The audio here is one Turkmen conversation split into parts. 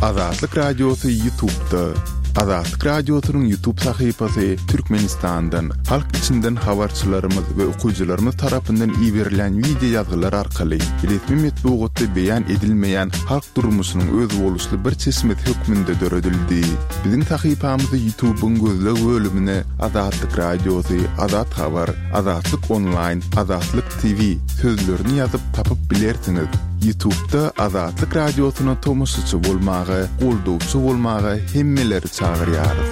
Azatlyk Radiosy Ýutubda. Azatlyk Radiosynyň Ýutub sahypasy Türkmenistandan, halk içinden habarçylarymyz we okyjylarymyz tarapyndan iberilýän wideo ýazgylar arkaly resmi metbugatda beýan edilmeýän halk durmuşynyň özboluşly bir çeşmesi hökmünde döredildi. Biziň sahypamyzy Ýutubyň gözleg bölümine Azatlyk Radiosy, Azat Habar, Azatlyk Onlaýn, Azatlyk TV sözlerini ýazyp tapyp bilersiňiz. Ýutubda Azatlyk Radiosyna tomaşaçy bolmaga, goldawçy bolmaga hemmeleri çagyrýarys.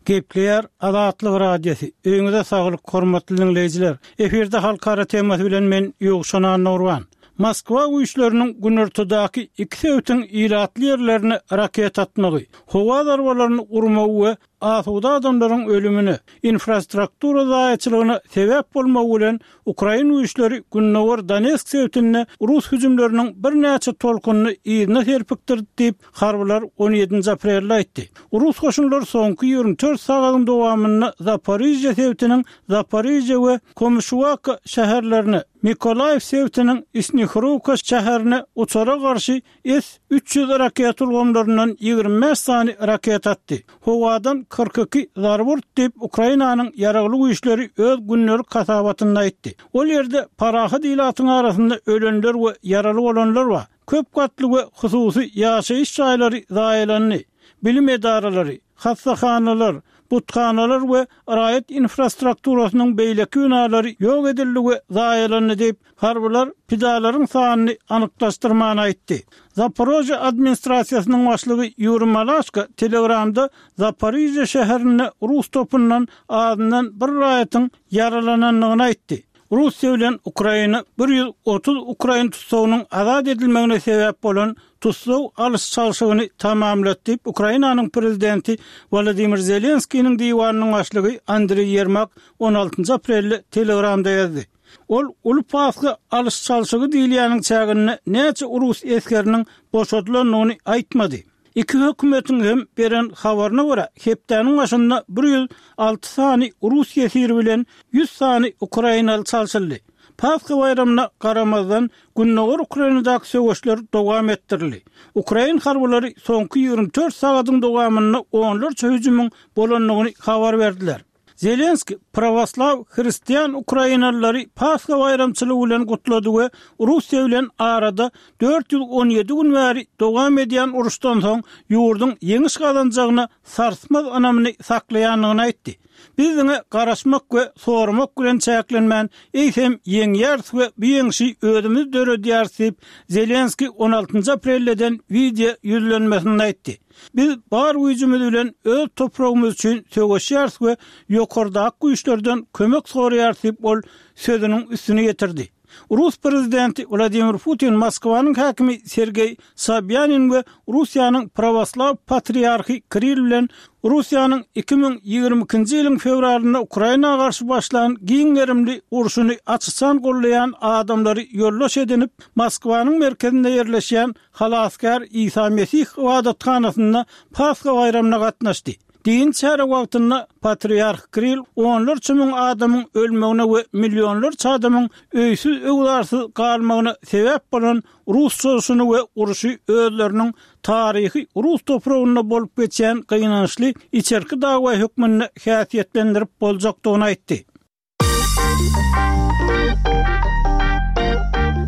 Gepleýär Azatlyk Radiosy. Öýüňize saglyk, hormatly diňleýjiler! Efirde halkara temasy bilen men Ýowşan Annagurban. Moskwa güýçleriniň günortadaky iki sebitiň ilatly ýerlerine raketa atmagy, howa zarbalaryny urmagy we asuda adamlaryň ölümine, infrastruktura zaýaçylygyna sebäp bolmagy bilen ukrain güýçleri gündogar Donetsk sebitinde rus hüjümleriniň birnäçe tolkunyny yzyna serpikdirdi diýip, harbylar on ýedinji aprelde aýtdy. Rus goşunlary soňky 24 sagadyň dowamynda Zaporižýa sebitiniň Zaporižýa we Komyşuwaka şäherlerine, Mykolaýiw sebitiniň Snihurowka şäherine uçara garşy S 300 raketa ulgamlaryndan 25 sany raketa atdy. Howadan 42 zarba urdy diýip, Ukrainanyň Ýaragly Güýçleri öz gündelik hasabatynda aýtdy. Ol ýerde parahat ilatyň arasynda ölenler we ýaraly bolanlar bar. Köp gatly we hususy ýaşaýyş jaýlary zaýalandy, bilim edaralary, hassahanalar, buthanalar we raýat infrastrukturasynyň beýleki binalary ýok edildi we zaýalandy diýip, harbylar pidalaryň sanyny anyklaşdyrman aýtdy. Zaporožýe administrasiýasynyň başlygy Ýuriý Malaşko Telegramda Zaporižýe şäherinde rus topundan azyndan bir raýatyň ýaralanandygyny aýtdy. Russiýa bilen Ukraina 130 ukrain tussagynyň azat edilmegine sebäp bolan tussag alyş-çalşygyny tamamlady diýip, Ukrainanyň prezidenti Wolodymyr Zelenskiniň diwanynyň başlygy Andriý Ýermak on altynjy aprelde Telegramda ýazdy. Ol Uly Pasha alyş-çalşygy diýilýäniň çäginde näçe rus esgeriniň boşadylandygyny aýtmady. Iki hökümetiň hem beren habaryna görä, hepdäniň başynda 106 sany rus ýesiri bilen 100 sany ukrainaly çalşyldy. Pasha baýramyna garamazdan, gündogar Ukrainadaky söweşler dowam etdirildi. Ukrain harbylary soňky 24 sagadyň dowamynda onlarça hüjümiň bolandygyny habar berdiler. Zelenskiý prawoslaw hristian ukrainalylary Pasha baýramçylygy bilen gutlady we Russiýa bilen arada 417 gün bäri dowam edýän uruşdan soň ýurduň ýeňiş gazanjagyna sarsmaz ynamyny saklaýandygyny aýtdy. Biz diňe garaşmak we soramak bilen çäklenmän, eýsem ýeňýäris we bu ýeňşi özümiz döredýäris diýip, Zelenskiý on altynjy aprelde eden wideo ýüzlenmesinde aýtdy. Biz bar güýjümiz bilen öz topragymyz üçin söweşýäris we ýokardaky güýçlerden kömek soraýarys diýip, ol sözüniň üstüni ýetirdi. Rus prezidenti Wladimir Putin Moskwanyň häkimi Sergeý Sobýanin we Russiýanyň prawoslaw patriarhy Kirill bilen Russiýanyň 2022-nji ýylyň fewralynda Ukraina garşy başlan giň gerimli urşuny aç-açan goldaýan adamlary ýoldaş edinip, Moskwanyň merkezinde ýerleşýän Halasgär Isa Mesih ybadathanasynda Pasha baýramyna gatnaşdy. Dini çäre wagtynda Patriarh Kirill onlarça müň adamyň ölmegine we millionlarça adamyň öýsüz-öwzarsyz galmagyna sebäp bolan rus çozuşyny we urşy özleriniň taryhy rus topragynda bolup geçýän gynançly içerki dawa hökmünde häsiýetlendirip boljakdygyny aýtdy.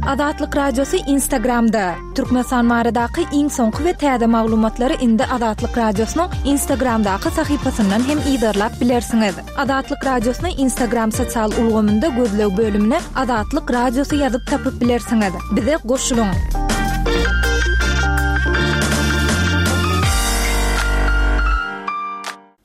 Azatlyk Radiosy Instagramda, Türkmenistan baradaky iň soňky we täze maglumatlary indi Azatlyk Radiosynyň Instagramdaky sahypasyndan hem yzarlap bilersiňiz. Azatlyk Radiosyny Instagram sosial ulgamynda gözleg bölümine Azatlyk Radiosy ýazyp tapyp bilersiňiz. Bize goşulyň!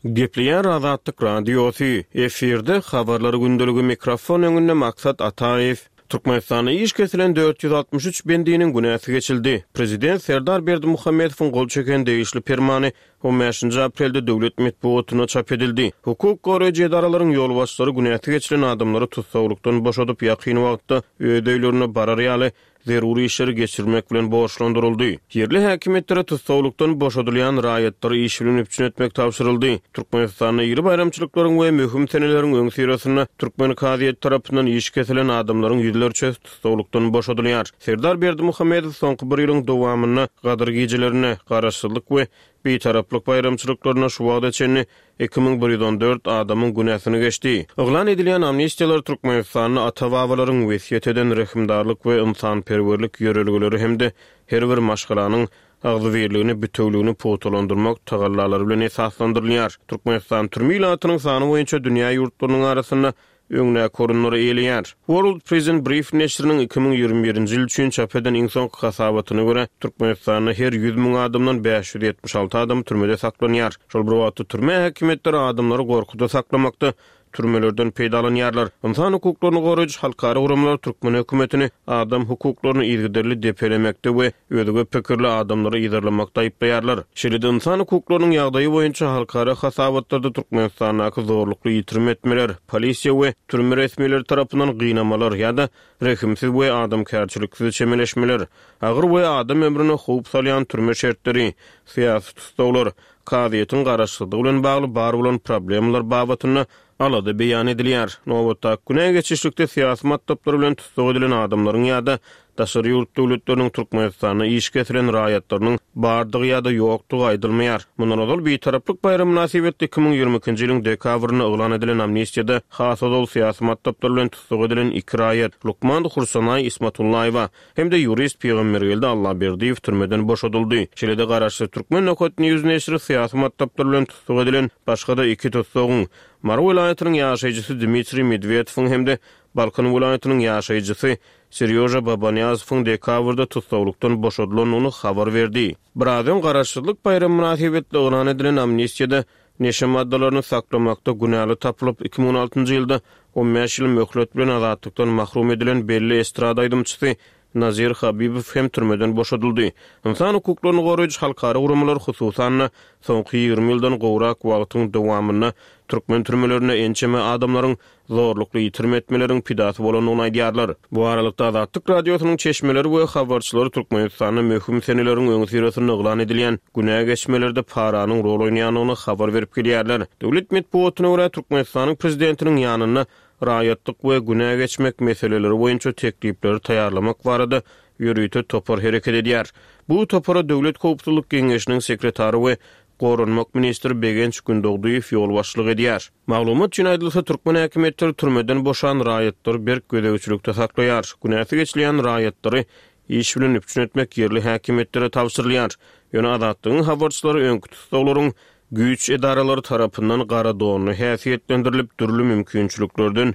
Gepleýär Azatlyk Radiosy, efirde Habarlar gündeligi mikrofon öňünde Maksat Ataýew. Türkmenistanda iş kesilen 463 bendiniň günäsi geçildi. Prezident Serdar Berdimuhamedowyň gol çeken degişli permany on bäşinji aprelde döwlet metbugatynda çap edildi. Hukuk goraýjy edaralaryň ýolbaşçylary günäsi geçilen adamlary tussaglykdan boşadyp, ýakyn wagtda öz öýlerine barar ýaly. zerur işleri geçirmek bilen borçlandyryldy. Ýerli häkimiýetlere tussaglykdan boşadylýan raýatlary iş bilen üpjün etmek tabşyryldy. Türkmenistanda iri baýramçylyklaryň we möhüm seneleriň öňüsyrasynda türkmen kazyýeti tarapyndan iş kesilen adamlaryň ýüzlerçesi tussaglykdan boşadylýar. Serdar Berdimuhamedow soňky bir ýylyň dowamynda Gadyr gijelerinde, Garaşsyzlyk we Bitaraplyk baýramçylyklarynda şu wagta çenli 2114 adamyň günäsini geçdi. Yglan edilýän amnistiýalar Türkmenistanda ata-babalaryň wesýet eden rehimdarlyk we ynsanperwerlik ýörelgeleri hem-de her bir maşgalanyň agzybirligini, bitewligini pugtalandyrmak tagallalary bilen esaslandyrylýar. Türkmenistan türme ilatynyň sany boýunça dünýä ýurtlarynyň arasynda öňdäki orunlary eýeleýär. World Prison Brief neşiriniň 2021-nji ýyl üçin çap eden iň soňky hasabatyna görä, Türkmenistanda her 100 müň adamdan 576 adam türmede saklanýar. Şol bir wagtda, türme häkimiýetleri adamlary gorkuda saklamakda türmelerden peýdalanýarlar. Ynsan hukuklaryny goraýjy halkara guramalar türkmen hökümetini adam hukuklaryny yzygiderli depelemekde we özge pikirli adamlary yzarlamakda aýyplaýarlar. Şeýle-de ynsan hukuklarynyň ýagdaýy boýunça halkara hasabatlarda Türkmenistandaky zorlukly ýitirim etmeler, polisiýa we türme resmileri tarapyndan gynamalar ýa-da rehimsiz we adamkärçiliksiz çemeleşmeler, agyr we adam ömrüne howp salýan türme şertleri, syýasy tussaglar, kazyýetiň garaşsyzlygy bilen bagly bar bolan problemalar babatynda alada beýan edilýär. Nobatdaky günä geçişlikde syýasy matlaplar bilen tussag edilen adamlaryň ýa-da daşary ýurt döwletleriniň Türkmenistanda iş kesilen raýatlarynyň bardygy ýa-da ýokdugy aýdylmaýar. Mundan ozal Bitaraplyk baýramy mynasybetli 2022-nji ýylyň dekabrynda yglan edilen amnistiýada has ozal syýasy matlaplar bilen tussag edilen iki raýat, lukman Hursanaý Ismatullaýewa hem-de ýurist Pygambergeldi Allaberdiýew türmeden boşadyldy. Şeýle-de garaşsyz Türkmen Nokat News neşiri syýasy matlaplar bilen tussag edilen başga-da iki tussagyň, Mary welaýatynyň ýaşaýjysy Dmitriý Medwedowyň hem-de Balkan welaýatynyň ýaşaýjysy Serýoža Babanýazowyň dekabrda tussaglykdan boşadylandygyny habar berdi. Biraz öň Garaşsyzlyk baýramy mynasybetli yglan edilen amnistiýada neşe maddalaryny saklamakda günäli tapylyp, 2016-njy ýylda on bäş ýyl möhlet bilen azatlykdan mahrum edilen belli estrada aýdymçysy Nazir Habibow hem türmeden boşadyldy. Ynsan hukuklaryny goraýjy halkara guramalar, hususan-da, soňky 20 ýyldan gowrak wagtyň dowamynda türkmen türmelerinde ençeme adamlaryň zorlukly ýitirim etmeleriň pidasy bolandygyny aýdýarlar. Bu aralykda, Azatlyk Radiosynyň çeşmeleri we habarçylary Türkmenistanda möhüm seneleriň öňüsyrasynda yglan edilýän günä geçmelerde paranyň rol oýnaýandygyny habar berip gelýärler. Döwlet metbugatyna görä, Türkmenistanyň prezidentiniň ýanynda raýatlyk we günä geçmek meseleleri boýunça teklipleri taýýarlamak barada ýörite topar hereket edýär. Bu topara Döwlet howpsuzlyk geňeşiniň sekretary we goranmak ministri Begenç Gündogdyýew ýolbaşçylyk edýär. Maglumat üçin aýdylsa, türkmen häkimiýetleri türmeden boşan raýatlary berk gözegçilikde saklaýar. Günäsi geçilýän raýatlary iş bilen üpjün etmek ýerli häkimiýetlere tabşyrylýar. Ýöne Azatlygyň habarçylary öňki tussaglaryň güýç edaralary tarapyndan gara donly häsiýetlendirilip, dürli mümkinçiliklerden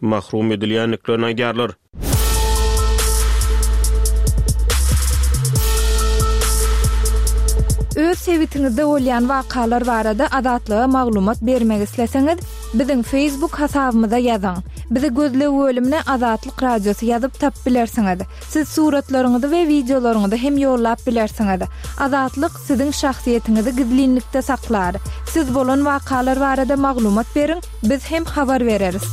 mahrum edilýändiklerini aýdýarlar. Öz sebitiňizde bolýan wakalar barada Azatlyga maglumat bermek isleseňiz, biziň Facebook hasabymyza ýazyň. Bizi gözleg bölümine Azatlyk Radiosy ýazyp tapyp bilersiňiz. Siz suratlaryňyzy we wideolaryňyzy hem ýollap bilersiňiz. Azatlyk siziň şahsyýetiňizi gizlinlikde saklar. Siz bolan wakalar barada maglumat beriň, biz hem habar bereris.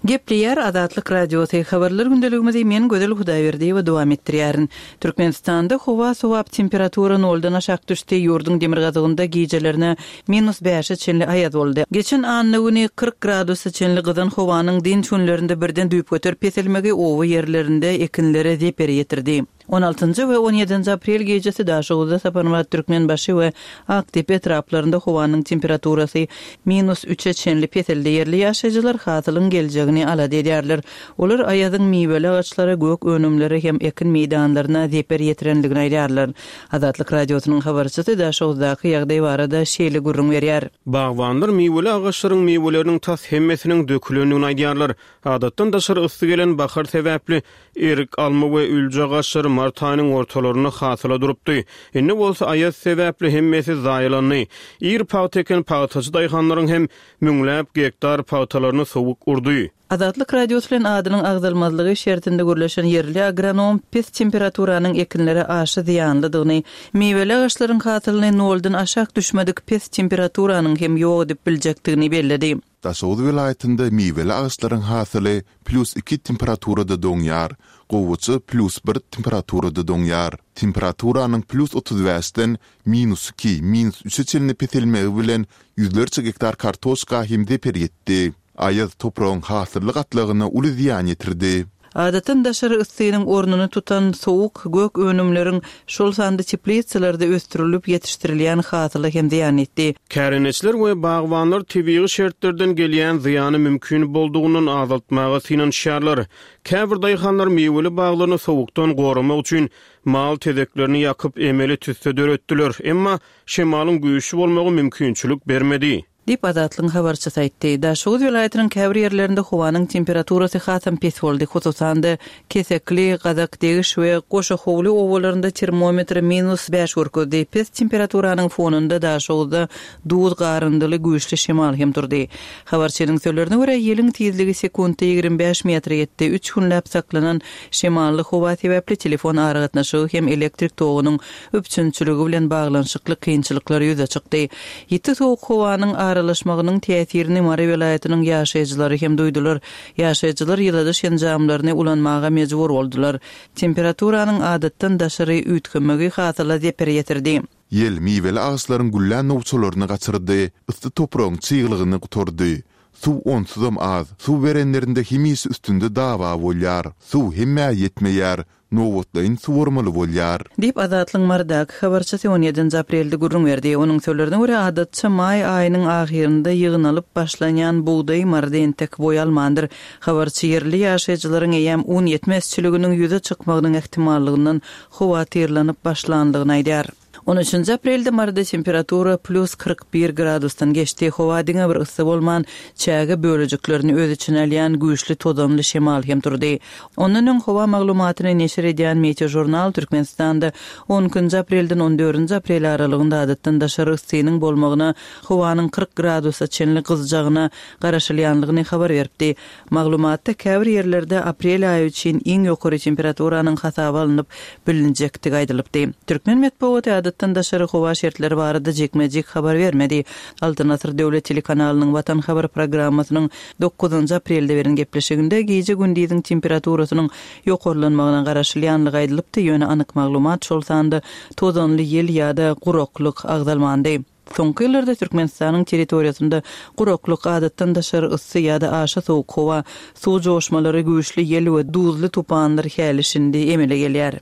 Gepleýär Azatlyk Radiosy, Habarlar gündeligimizi men Gözel Hudaýberdiýewa dowam etdirýärin. Türkmenistanda howa sowap, temperatura noldan aşak düşdi, ýurduň demirgazygynda gijelerine minus bäşe çenli aýaz boldy. Geçen anna güni 40 gradusa çenli gyzan howanyň dynç günlerinde birden düýpgöter peselmegi oba ýerlerinde ekinlere zeper ýetirdi. On altynjy we on ýedinji aprel gijesi Daşoguzda, Saparmyrat Türkmenbaşy we Akdepe etraplarynda howanyň temperaturasy minus üçe çenli peseldi. Ýerli ýaşaýjylar hasylyň geljegini alada edýärler. Olar aýazyň miweli agaçlara, gök önümlere hem ekin meýdanlaryna zeper ýetirendigini aýdýarlar. Azatlyk Radiosynyň habarçysy Daşoguzdaky ýagdaý barada şeýle gürrüň berýär. Bagbanlar miweli agaçlaryň miweleriniň tas hemmesiniň dökülendigini aýdýarlar. Adatdan daşary yssy gelen bahar sebäpli, erik, alma we ülje agaçlary mart aýynyň ortalarynda hasyla durupdy. Indi bolsa aýaz sebäpli hemmesi zaýalandy. Ir pagta eken pagtaçy daýhanlaryň hem müňläp gektar pagtalaryny sowuk urdy. Azatlyk Radiosy bilen adynyň agzalmazlygy şertinde gürleşen ýerli agronom pes temperaturanyň ekinlere aşa zyýanlydygyny, miweli agaçlaryň hasylyny noldan aşak düşmedik pes temperaturanyň hem ýok edip biljekdigini belledi. Daşoguz welaýatynda miweli agaçlaryň hasyly plýus iki temperaturada doňýar, gowaça plýus bir temperaturada doňýar. Temperaturanyň plýus 35-den minus iki, minus üçe çenli peselmegi bilen ýüzlerçe gektar kartoşka hem zeper ýetdi. Aýaz topragyň hasylly gatlagyna uly zyýan ýetirdi. Adatdan daşary yssynyň ornuny tutan sowuk gök önümleriň, şol sanda teplisalarda ösdürilip ýetişdirilýän hasyla hem zyýan ýetdi. Kärendeçiler we bagbanlar tebigy şertlerden gelýän zyýany mümkin boldugyndan azaltmaga synanyşýarlar. Käbir daýhanlar miweli baglaryny sowukdan goramak üçin mal tezeklerini ýakyp, emeli tüsse döretdiler. Emma şemalyň güýçli bolmagy mümkinçilik bermedi. Diýip, Azatlygyň habarçysy aýtdy. Daşoguz welaýatynyň käbir ýerlerinde howanyň temperaturasy hasam pes boldy. Hususan-da, Kesekli, Gazakdegiş we Goşahowly obalarynda termometr minus bäş görkezdi. Pes temperaturanyň fonunda Daşoguzda duz garyndyly güýçli şemal hem turdy. Habarçynyň sözlerine görä, ýeliň tizligi sekuntda 25 metre ýetdi. Üç günläp saklanan şemally howa sebäpli telefon aragatnaşygy hem elektrik togunyň üpjünçiligi bilen baglanyşykly kynçylyklar ýüze çykdy. Ýiti sowuk howanyň aralaşmagynyň täsirini Mary welaýatynyň ýaşaýjylary hem duýdular. Ýaşaýjylar ýyladyş enjamlaryny ulanmaga mejbur boldular. Temperaturanyň adatdan daşary üýtgemegi hasyla zeper ýetirdi. Ýel miweli agaçlaryň güllän nowçalaryny gaçyrdy, yssy topragyň çyglygyny gutardy. Suw onsuzam az, suw berenlerinde hemişe üstünde dawa bolýar. Suw hemmä ýetmeýär, nobatlaýyn suwarmaly bolýar. Diýip, Azatlygyň Marydaky habarçysy on ýedinji aprelde gürrüň berdi. Onuň sözlerine görä, adatça maý aýynyň ahyrynda ýygnalyp başlanýan bugdaý Maryda entek boý almandyr. Habarçy ýerli ýaşaýjylaryň eýýäm un ýetmezçiliginiň ýüze çykmagynyň ähtimallygyndan howatyrlanyp başlandygyny aýdýar. On üçünji aprelde Maryda temperatura plýus 41 gradusdan geçdi. Howa diňe bir yssy bolman, çäge bölejiklerini öz içine alýan güýçli tozanly şemal hem turdy. Ondan öň howa maglumatyny neşir edýän Meteožurnal Türkmenistanda on ikinji aprelden on dördünji aprel aralygynda adatdan daşary yssynyň bolmagyna, howanyň 40 gradusa çenli gyzjagyna garaşylýanlygyny habar beripdi. Maglumatda käbir ýerlerde aprel aýy üçin iň ýokary temperaturanyň hasaba alnyp bilinjekdigi aýdylypdy. Türkmen metbugaty adatdan daşary howa şertleri barada jikme-jik habar bermedi. Altyn asyr döwlet telekanalynyň Watan habar programmasynyň dokuzynjy aprelde beren gepleşiginde gije-gündiziň temperaturasynyň ýokarlanmagyna garaşylýanlygy aýdylypdy, ýöne anyk maglumat, şol sanda tozanly ýel ýa-da guraklyk agzalmandy. Soňky ýyllarda Türkmenistanyň territoriýasynda guraklyk, adatdan daşary yssy ýa-da aşa sowuk howa, suw joşmalary, güýçli ýel we duzly tupanlar häli-şindi emele gelýär.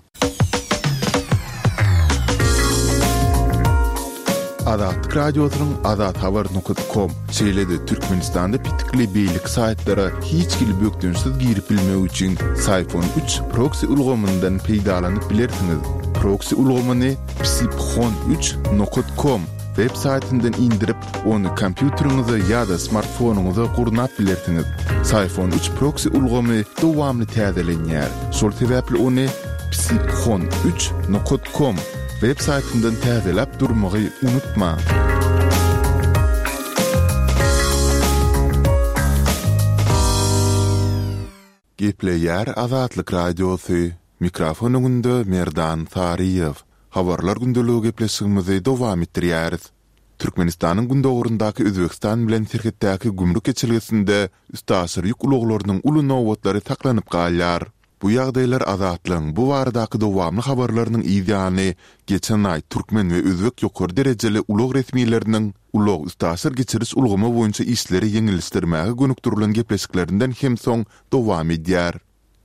Azatlyk Radiosynyň azathabar nokat kom, şeýle-de Türkmenistanda petikli beýleki saýtlara hiç hili bökdençsiz girip bilmek üçin Syfon üç proksi ulgamyndan peýdalanyp bilersiňiz. Proksi ulgamyny Psiphon üç nokat kom web saýtyndan indirip, ony kompýuteriňize ýa-da smartfonyňyza gurnap bilersiňiz. Syphon üç proksi ulgamy dowamly täzelenýär. Şol sebäpli ony Psiphon üç nokat kom web saýtyndan täzeläp durmagy unutmaň. Gepleýär Azatlyk Radiosy, Mikrofon öňünde Merdan Saryýew. Habarlar gündeligi gepleşigimizi dowam etdirýäris. Türkmenistanyň gündogaryndaky Özbegistan bilen serhetdäki gümrük geçelgesinde üstaşyr ýük ulaglarynyň uly nobatlary saklanyp galýar. Bu ýagdaýlar Azatlygyň bu baradaky dowamly habarlarynyň yz ýany, geçen aý türkmen we özbek ýokary derejeli ulag resmileriniň ulag-üstaşyr geçiriş ulgamy boýunça işleri ýeňilleşdirmäge gönükdirilen gepleşiklerinden hem soň dowam edýär.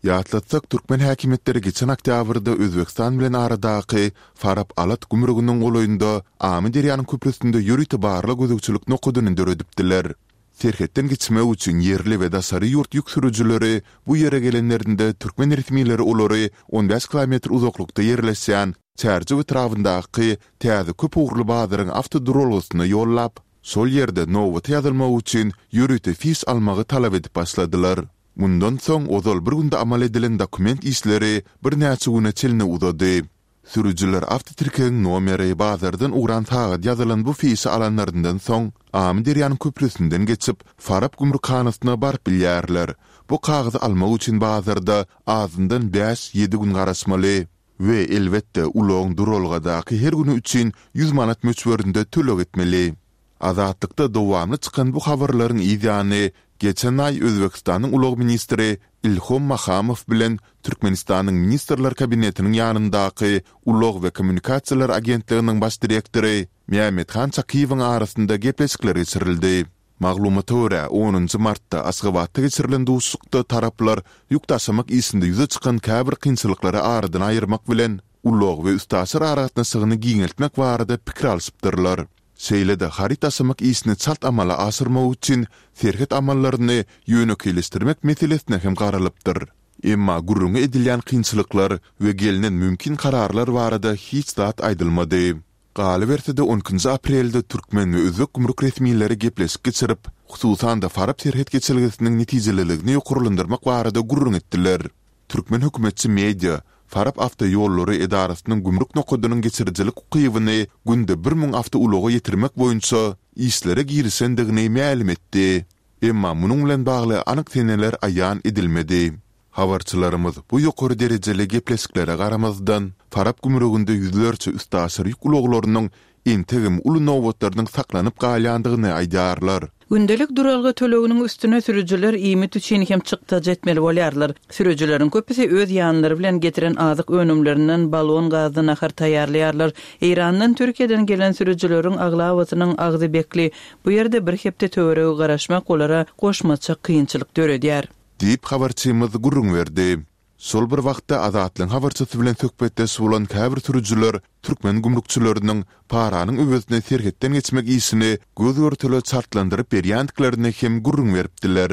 Ýatlatsak, türkmen häkimiýetleri geçen oktýabrda Özbegistan bilen aradaky Farap-Alat gümrüginiň golaýynda Amyderýanyň köprüsinde ýörite barlag-gözegçilik nokadyny döredipdiler. Serhetden geçmek üçin ýerli we daşary ýurt ýük sürüjileri bu ýere gelenlerinde türkmen resmileri olary 15 kilometr uzaklykda ýerleşýän Çärjew etrabyndaky täze köp ugurly bazaryň awtoduralgasyna ýollap, şol ýerde nobata ýazylmak üçin ýörite fiş almagy talap edip başladylar. Mundan soň ozal bir günde amal edilen dokument işleri birnäçe güne çenli uzady. Sürüjiler awtotirkegiň nomeri, bazardan ugran sagat ýazylan bu fişi alanlaryndan soň, Amyderýanyň köprüsinden geçip, Farap gümrükhanasyna baryp bilýärler. Bu kagyzy almak üçin bazarda azyndan bäş-ýedi gün garaşmaly. We, elbetde, ulagyň duralgadaky her güni üçin ýüz manat möçberinde töleg etmeli. Azatlykda dowamly çykan bu habarlaryň yz ýany, geçen aý Özbegistanyň ulag ministri Ilhom Mahamow bilen Türkmenistanyň Ministrler Kabinetiniň ýanyndaky Ulag we kommunikasiýalar agentliginiň baş direktory Mämmethan Çakyýewiň arasynda gepleşikler geçirildi. Maglumata görä, onunjy martda Aşgabatda geçirilen duşuşykda taraplar ýük daşamak işinde ýüze çykan käbir kynçylyklary aradan aýyrmak bilen, ulag we üstaşyr aragatnaşygyny giňeltmek barada pikir alşypdyrlar. Şeýle-de haryt daşamak işini çalt amala aşyrmak üçin serhet amallaryny ýönekeýleşdirmek meselesine hem garalypdyr. Emma gürrüňi edilýän kynçylyklar we gelnen mümkin kararlar barada hiç zat aýdylmady. Galyberse-de, on ikinji aprelde türkmen we özbek gümrük resmileri gepleşik geçirip, hususan-da Farap serhet geçelgesiniň netijeliligini ýokarlandyrmak barada gürrüň etdiler. Türkmen hökümetçi media Farap awtoýollary edarasynyň gümrük nokadynyň geçirijilik ukybyny günde 1000 awtoulaga ýetirmek boýunça işlere girişendigini mälim etdi. Emma munuň bilen bagly anyk seneler aýan edilmedi. Habarçylarymyz bu ýokary derejeli gepleşiklere garamazdan, Farap gümrüginde ýüzlerçe üstaşyr ýük ulaglarynyň entegem uly nobatlarynyň saklanyp galýandygyny aýdýarlar. Gündelik duralga töleginiň üstüne sürüjiler iýmit üçin hem çykdajy etmeli bolýarlar. Sürüjileriň köpüsi öz ýanlary bilen getiren azyk önümlerinden balon gazda nahar taýýarlaýarlar. Eýrandan, Türkiýeden gelen sürüjileriň aglabasynyň agzy bekli. Bu ýerde bir hepde töweregi garaşmak olara goşmaça kynçylyk döredýär. Diýip, habarçymyz gürrüň berdi. Şol bir wagtda, Azatlygyň habarçysy bilen söhbetdeş bolan käbir sürüjiler türkmen gümrükçileriniň paranyň öwezine serhetden geçmek işini göz-görtele çaltlandyryp berýändiklerini hem gürrüň beripdiler.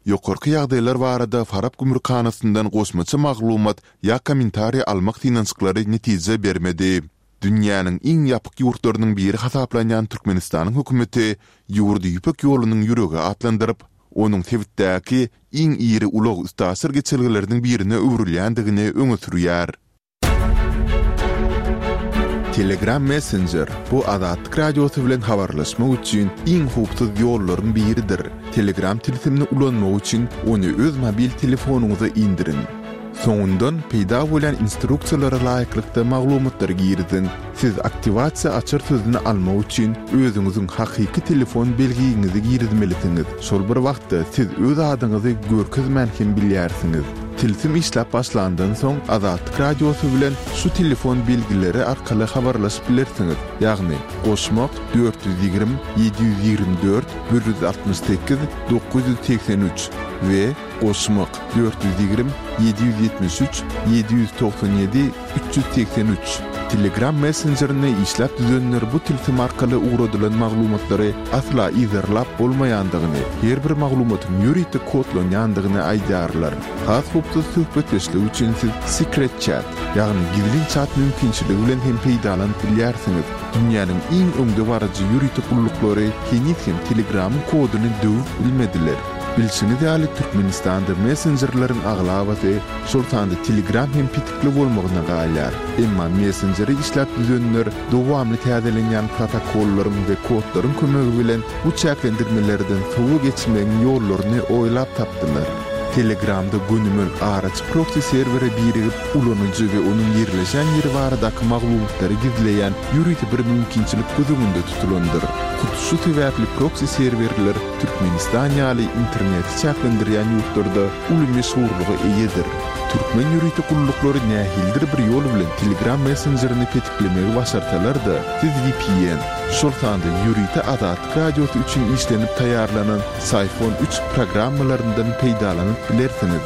Ýokarky ýagdaýlar barada Farap gümrükhanasyndan goşmaça maglumat ýa kommentariý almak synanyşyklary netije bermedi. Dünýäniň iň ýapyk ýurtlarynyň biri hasaplanýan Türkmenistanyň hökümeti ýurdy Ýüpek ýolunyň ýüregi atlandyryp, onuň sebitdäki iň iri ulag-üstaşyr geçelgeleriniň birine öwrülýändigini öňe sürýär. Telegram Messenger, bu Azatlyk Radiosy bilen habarlaşmak üçin iň howpsuz ýollaryň biridir. Telegram tilsimini ulanmak üçin ony öz mobil telefonyňyza indiriň. Soňundan peýda bolýan instruksiýalara laýyklykda maglumatlary giriziň. Siz aktiwasiýa açar sözüni almak üçin özüňiziň hakyky telefon belgiňizi girizmelisiňiz. Şol bir wagtda siz öz adyňyzy görkezmän hem bilýärsiňiz. Tilsim işläp başlandan soň Azatlyk Radiosy bilen şu telefon belgileri arkaly habarlaşyp bilersiňiz, ýagny, goşmak, 420 724 168 983 we Goşmak, 420 773 797 383. Telegram messenjerini işläp düzenler bu tilsim arkaly ugradylan maglumatlary asla yzarlap bolmaýandygyny, her bir maglumatyň ýörite kodlanýandygyny aýdýarlar. Has howpsuz söhbetdeşlik üçin siz Secret Chat, ýagny gizlin çat mümkinçiligi bilen hem peýdalanyp bilýärsiňiz. Dünýäniň iň öňdebaryjy ýörite gulluklary heniz hem Telegramyň koduny döwüp bilmediler. Bilşiňiz ýaly, Türkmenistanda messenjerleriň aglabasy, şol sanda Telegram hem petikli bolmagyna galýar. Emma messenjeri işläp düzenler dowamly täzelenýän protokollaryň we kodlaryň kömegi bilen bu çäklendirmelerden sowa geçmegiň ýollaryny oýlap tapdylar. Telegramda gönümel araçy proksi serwere birigip, ulanyjy we onuň ýerleşen ýeri baradaky maglumatlary gizleýän ýörite bir mümkinçilik göz öňünde tutulandyr. Hut şu sebäpli proksi serwerler Türkmenistan ýaly interneti çäklendirýän ýurtlarda uly meşhurlyga eýedir. Türkmen ýörite gulluklary nähilidir bir ýol bilen Telegram messenjerini petiklemegi başarsalar-da, siz vpn, şol sanda ýörite Azatlyk Radiosy üçin işlenip taýýarlanan Syphon üç programmalaryndan peýdalanyp bilersiňiz.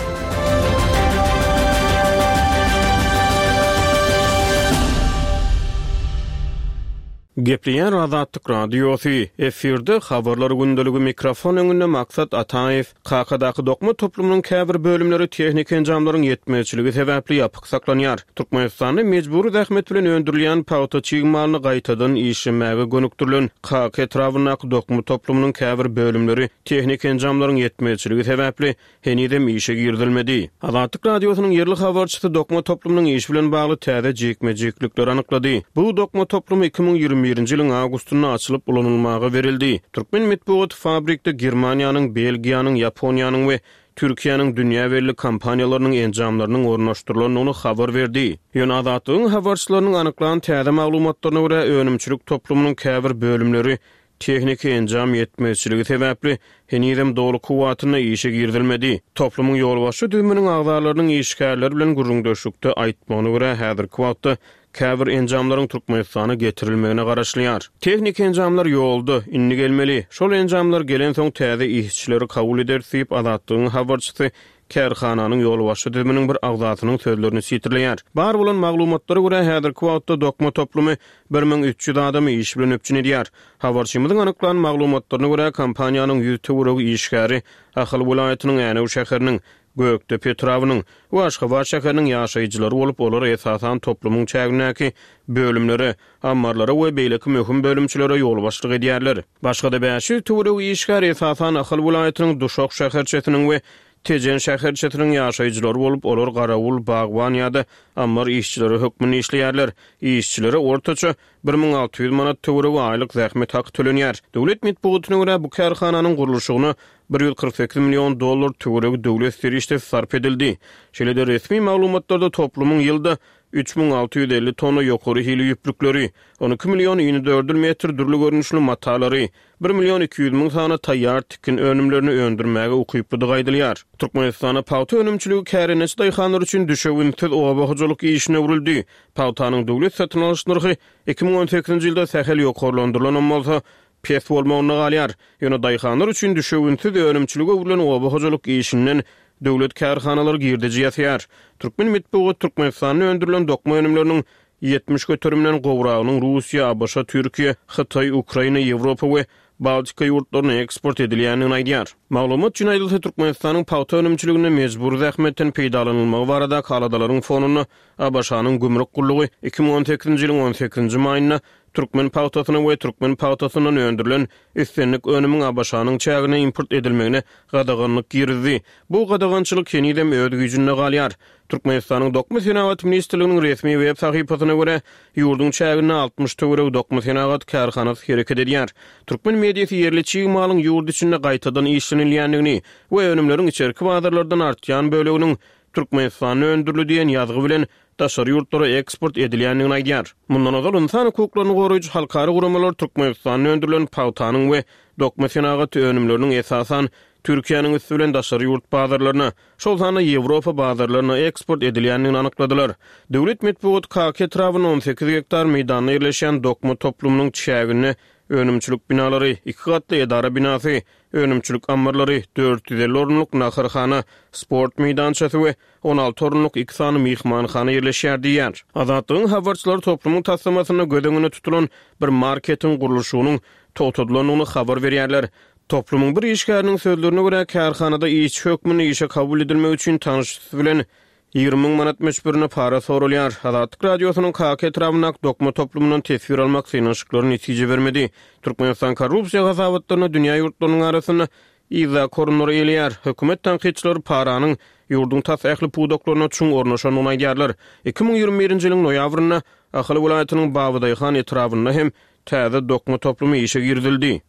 Gepleýär Azatlyk Radiosy, efirde Habarlar gündeligi mikrofon öňünde Maksat Ataýew. Kakadaky dokma toplumynyň käbir bölümleri tehniki enjamlaryň ýetmezçiligi sebäpli ýapyk saklanýar. Türkmenistanda mejbury zähmet bilen öndürilýän pagta çig malyny gaýtadan işlemäge gönükdirilen Kaka etrabyndaky dokma toplumynyň käbir bölümleri tehniki enjamlaryň ýetmezçiligi sebäpli henizem işe girizilmedi. Azatlyk Radiosynyň ýerli habarçysy dokma toplumynyň işi bilen bagly täze jikme-jiklikleri anyklady. Bu dokma toplumy 2021-nji ýylyň awgustynda açylyp ulanylmaga berildi. Türkmen metbugaty fabrikde Germaniýanyň, Belgiýanyň, Ýaponiýanyň we Türkiýäniň dünýä belli kompaniýalarynyň enjamlarynyň ornaşdyrylandygyny habar berdi. Ýöne Azatlygyň habarçylarynyň anyklan täze maglumatlaryna görä, önümçilik toplumynyň käbir bölümleri. Tehniki enjam ýetmezçiligi sebäpli, henizem doly kuwwatynda işe girizilmedi. Toplumyň ýolbaşçy düzüminiň agzalarynyň işgärler bilen gürrüňdeşlikde aýtmagyna görä, häzirki wagtda käbir enjamlaryň Türkmenistana getirilmegine garaşylýar. Tehniki enjamlar ýolda, indi gelmeli. Şol enjamlar gelensoň täze işçileri kabul ederis diýip, Azatlygyň habarçysy kärhananyň ýolbaşçy düzüminiň bir agzasynyň sözlerini sitirleýär. Bar bolan maglumatlara görä, häzirki wagtda dokma toplumy 1300 adamy iş bilen üpjün edýär. Habarçymyzyň anyklan maglumatlaryna görä, kompaniýanyň ýüz töweregi işgäri Ahal welaýatynyň Änew şäheriniň, Gökdepe etrabynyň we Aşgabat şäheriniň ýaşaýjylary bolup, olar esasan toplumyň çägindäki bölümlere, ammarlara we beýleki möhüm bölümçelere ýolbaşçylyk edýärler. Başga-da 500 töweregi işgär esasan Ahal welaýatynyň Duşak şäherçesiniň we Tejen şäherçesiniň ýaşaýjylary bolup, olar garawul, bagban ýa-da ammar işçileri hökmünde işleýärler. Işçilere ortaça 1600 manat töweregi aýlyk zähmet haky tölenýär. Döwlet metbugatyna görä, bu kärhananyň gurluşygyna 148 million dollar töweregi döwlet serişdesi sarp edildi. Şeýle-de resmi maglumatlarda toplumyň ýylda 3650 tonna ýokary hili ýüplükleri, 12 million inedördül metr dürli görnüşli matalary, bir million 200 müň sany taýýar tikin önümlerini öndürmäge ukyplydygy aýdylýar. Türkmenistanda pagta önümçiligi kärendeçi daýhanlar üçin düşewüntsiz oba hojalyk işine öwrüldi. Pagtanyň döwlet satyn alyş nyrhy 2018-nji ýylda sähel ýokarlandyrylanam bolsa, pes bolmagynda galýar. Ýöne daýhanlar üçin düşewüntsiz önümçilige öwrülen oba hojalyk işinden döwlet kärhanalary girdeji ýasaýar. Türkmen metbugaty Türkmenistanda öndürilen dokma önümleriniň 70 göterimden gowragynyň Russiýa, ABŞ, Türkiýe, Hytaý, Ukraina, Ýewropa we Baltika ýurtlaryna eksport edilýändigini aýdýar. Maglumat üçin aýdylsa, Türkmenistanyň pagta önümçiliginde mejbury zähmetden peýdalanylmagy baradaky aladalaryň fonunda ABŞ-nyň gümrük gullugy 2018-nji ýylyň on sekizinji maýynda türkmen pagtasyna we türkmen pagtasyndan öndürilen islendik önümiň ABŞ-nyň çägine import edilmegine gadaganlyk girizdi. Bu gadagançylyk henizem öz güýjünde galýar. Türkmenistanyň Dokma senagaty ministrliginiň resmi web sahypasyna görä, ýurduň çäginde 60 töweregi dokma senagat kärhanasy hereket edýär. Türkmen mediasy ýerli çig malyň ýurt içinde gaýtadan işlenilýändigini we önümleriň içerki bazarlardan artýan böleginiň Türkmenistanda öndürildi diýen ýazgy bilen daşary ýurtlara eksport edilýändigini aýdýar. Mundan ozal ynsan hukuklaryny goraýjy halkara guramalar Türkmenistanda öndürilen pagtanyň we dokma senagaty önümleriniň esasan Türkiýäniň üsti bilen daşary ýurt bazarlaryna, şol sanda Ýewropa bazarlaryna eksport edilýändigini anykladylar. Döwlet metbugat Kaka etrabynda 18 gektar meýdanda ýerleşýän dokma toplumynyň çäginde önümçilik binalary, iki gatly edara binasy, önümçilik ammarlary, 450 orunlyk naharhana, sport meýdançasy we 16 orunlyk iki sany myhmanhana ýerleşýär diýýär. Azatlygyň habarçylary toplumyň taslamasynda göz öňünde tutulan bir marketiň gurluşygynyň togtadylandygyny habar berýärler. Toplumyň bir işgäriniň sözlerine görä, kärhanada işçi hökmünde işe kabul edilmek üçin tanyşysy bilen 20 müň manat möçberinde para soralýar. Azatlyk Radiosynyň Kaka etrabyndaky dokma toplumyndan teswir almak synanyşyklary netije bermedi. Türkmenistan korrupsiýa hasabatlarynda dünýä ýurtlarynyň arasynda yzdaky orunlary eýeleýär. Hökümet tankytçylary paranyň ýurduň tas ähli pudaklaryna çuň ornaşandygyny aýdýarlar. 2021-nji ýylyň noýabrynda Ahal welaýatynyň Babadaýhan etrabynda hem täze dokma toplumy işe girizildi.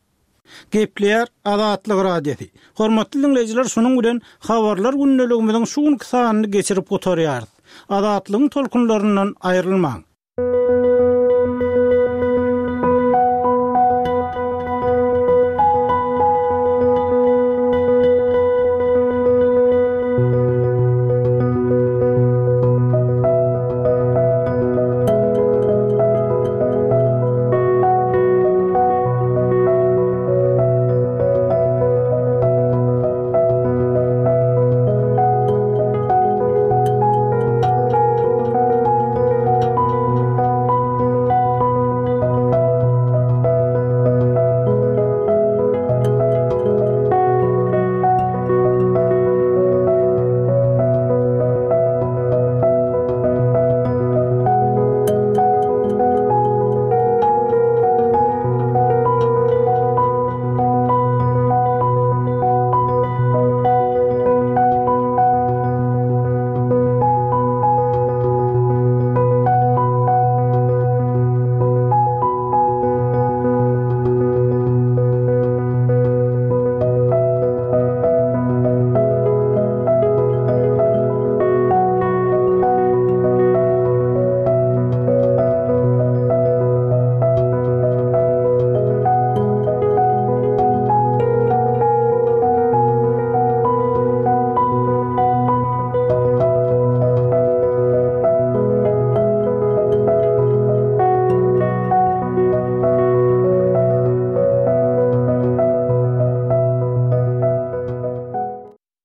Gepleýär Azatlyk Radiosy. Hormatly diňleýjiler şunuň bilen Habarlar gündeligimiziň şu günki sanyny geçirip gutarýarys. Azatlygyň tolkunlaryndan aýrylmaň.